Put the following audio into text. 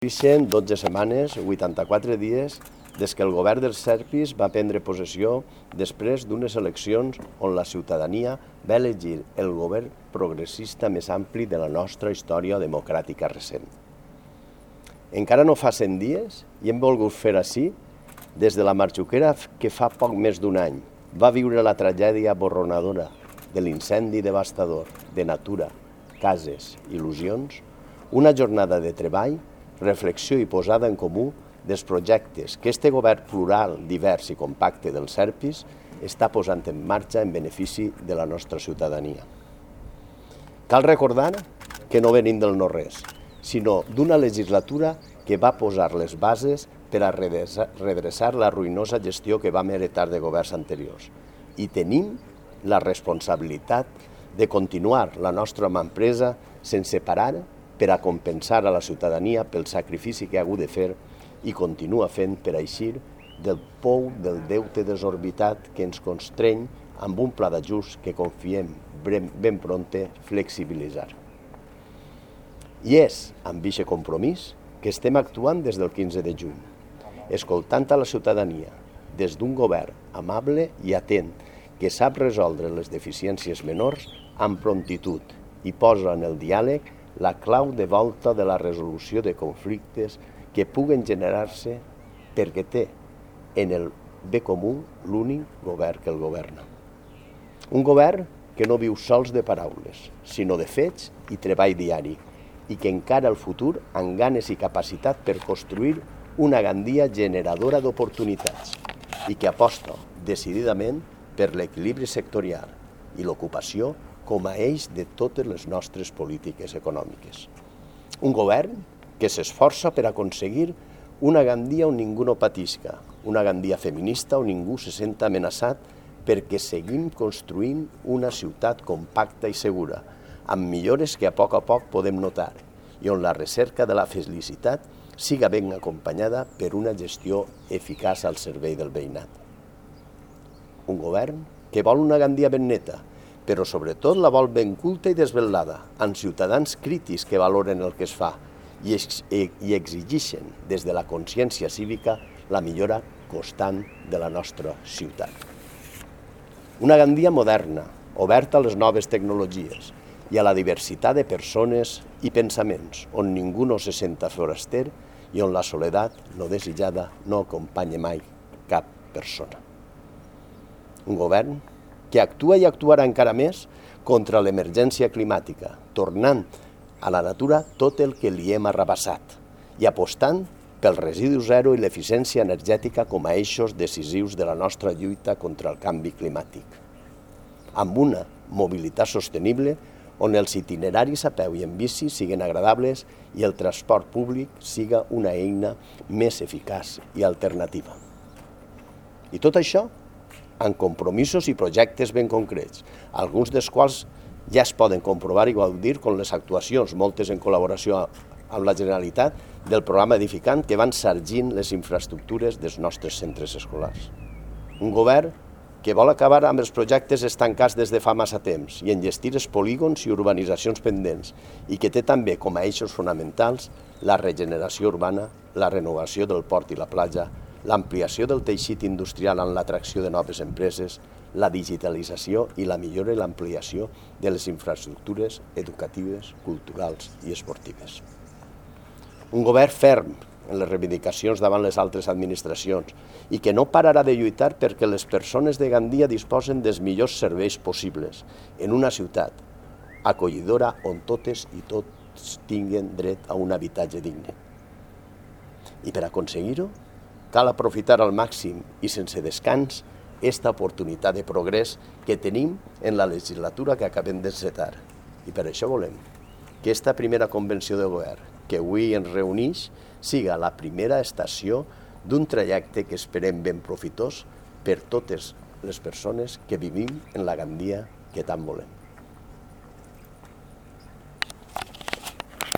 Passen 12 setmanes, 84 dies, des que el govern dels Serpis va prendre possessió després d'unes eleccions on la ciutadania va elegir el govern progressista més ampli de la nostra història democràtica recent. Encara no fa 100 dies i hem volgut fer així des de la Marxuquera que fa poc més d'un any va viure la tragèdia borronadora de l'incendi devastador de natura, cases, il·lusions, una jornada de treball, reflexió i posada en comú dels projectes que este govern plural, divers i compacte dels Serpis està posant en marxa en benefici de la nostra ciutadania. Cal recordar que no venim del no-res, sinó d'una legislatura que va posar les bases per a redreçar la ruïnosa gestió que vam heretar de governs anteriors. I tenim la responsabilitat de continuar la nostra mà empresa sense parar per a compensar a la ciutadania pel sacrifici que ha hagut de fer i continua fent per a eixir del pou del deute desorbitat que ens constreny amb un pla d'ajust que confiem ben prompte flexibilitzar. I és amb aquest compromís que estem actuant des del 15 de juny, escoltant a la ciutadania des d'un govern amable i atent que sap resoldre les deficiències menors amb promptitud i posa en el diàleg la clau de volta de la resolució de conflictes que puguen generar-se perquè té en el bé comú l'únic govern que el governa. Un govern que no viu sols de paraules, sinó de fets i treball diari, i que encara el futur amb ganes i capacitat per construir una Gandia generadora d'oportunitats i que aposta decididament per l'equilibri sectorial i l'ocupació com a eix de totes les nostres polítiques econòmiques. Un govern que s'esforça per aconseguir una Gandia on ningú no patisca, una Gandia feminista on ningú se senta amenaçat perquè seguim construint una ciutat compacta i segura, amb millores que a poc podem notar i on la recerca de la felicitat siga ben acompanyada per una gestió eficaç al servei del veïnat. Un govern que vol una Gandia ben neta, però sobretot la vol ben culta i desvelada, amb ciutadans crítics que valoren el que es fa i exigeixen des de la consciència cívica la millora constant de la nostra ciutat. Una Gandia moderna, oberta a les noves tecnologies i a la diversitat de persones i pensaments, on ningú no se senta foraster i on la soledat no desitjada no acompanya mai cap persona. Un govern que actua i actuarà encara més contra l'emergència climàtica, tornant a la natura tot el que li hem arrabassat i apostant pel residu zero i l'eficiència energètica com a eixos decisius de la nostra lluita contra el canvi climàtic. Amb una mobilitat sostenible on els itineraris a peu i en bici siguin agradables i el transport públic siga una eina més eficaç i alternativa. I tot això amb compromisos i projectes ben concrets, alguns dels quals ja es poden comprovar i gaudir com les actuacions, moltes en col·laboració amb la Generalitat, del programa Edificant que van sargint les infraestructures dels nostres centres escolars. Un govern que vol acabar amb els projectes estancats des de fa massa temps i enllestir els polígons i urbanitzacions pendents i que té també com a eixos fonamentals la regeneració urbana, la renovació del port i la platja, l'ampliació del teixit industrial amb l'atracció de noves empreses, la digitalització i la millora i l'ampliació de les infraestructures educatives, culturals i esportives. Un govern ferm en les reivindicacions davant les altres administracions i que no pararà de lluitar perquè les persones de Gandia disposen dels millors serveis possibles en una ciutat acollidora on totes i tots tinguen dret a un habitatge digne. I per aconseguir-ho, cal aprofitar al màxim i sense descans esta oportunitat de progrés que tenim en la legislatura que acabem d'encetar. I per això volem que esta primera convenció de govern que avui ens reuneix siga la primera estació d'un trajecte que esperem ben profitós per totes les persones que vivim en la Gandia que tant volem.